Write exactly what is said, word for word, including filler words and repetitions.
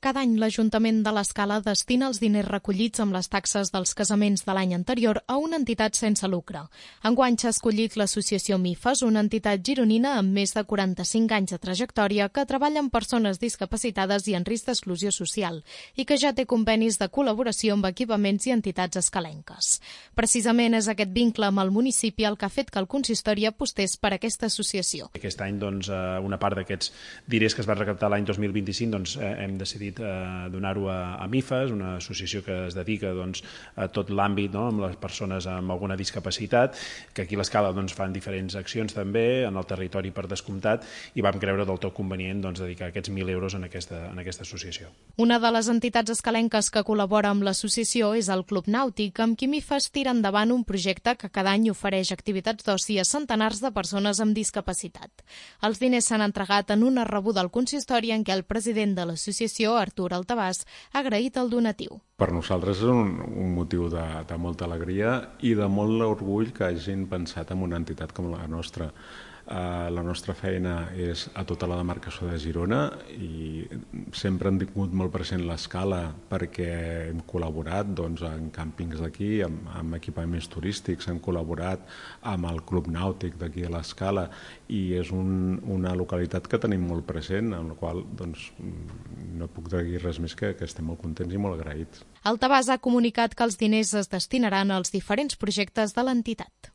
Cada any l'Ajuntament de l'Escala destina els diners recollits amb les taxes dels casaments de l'any anterior a una entitat sense lucre. Enguany s'ha escollit l'associació MIFES, una entitat gironina amb més de quaranta-cinc anys de trajectòria que treballa amb persones discapacitades i en risc d'exclusió social i que ja té convenis de col·laboració amb equipaments i entitats escalenques. Precisament és aquest vincle amb el municipi el que ha fet que el consistori apostés per aquesta associació. Aquest any, doncs, una part d'aquests diners que es van recaptar l'any dos mil vint-i-cinc doncs, hem decidit donar-ho a MIFES, una associació que es dedica doncs, a tot l'àmbit, no?, amb les persones amb alguna discapacitat, que aquí a l'Escala doncs, fan diferents accions també, en el territori per descomptat, i vam creure del tot convenient doncs, dedicar aquests mil euros en aquesta, en aquesta associació. Una de les entitats escalenques que col·labora amb l'associació és el Club Nàutic, amb qui MIFES tira endavant un projecte que cada any ofereix activitats d'oci a centenars de persones amb discapacitat. Els diners s'han entregat en una rebuda al consistori en què el president de l'associació, Artur Altabàs, ha agraït el donatiu. Per nosaltres és un, un motiu de, de molta alegria i de molt orgull que hagin pensat en una entitat com la nostra. Uh, la nostra feina és a tota la demarcació de Girona i sempre hem tingut molt present l'Escala perquè hem col·laborat doncs, en càmpings d'aquí, amb, amb equipaments turístics, hem col·laborat amb el Club Nàutic d'aquí a l'Escala i és un, una localitat que tenim molt present, amb la qual doncs, no puc dir res més que, que estem molt contents i molt agraïts. Altabàs ha comunicat que els diners es destinaran als diferents projectes de l'entitat.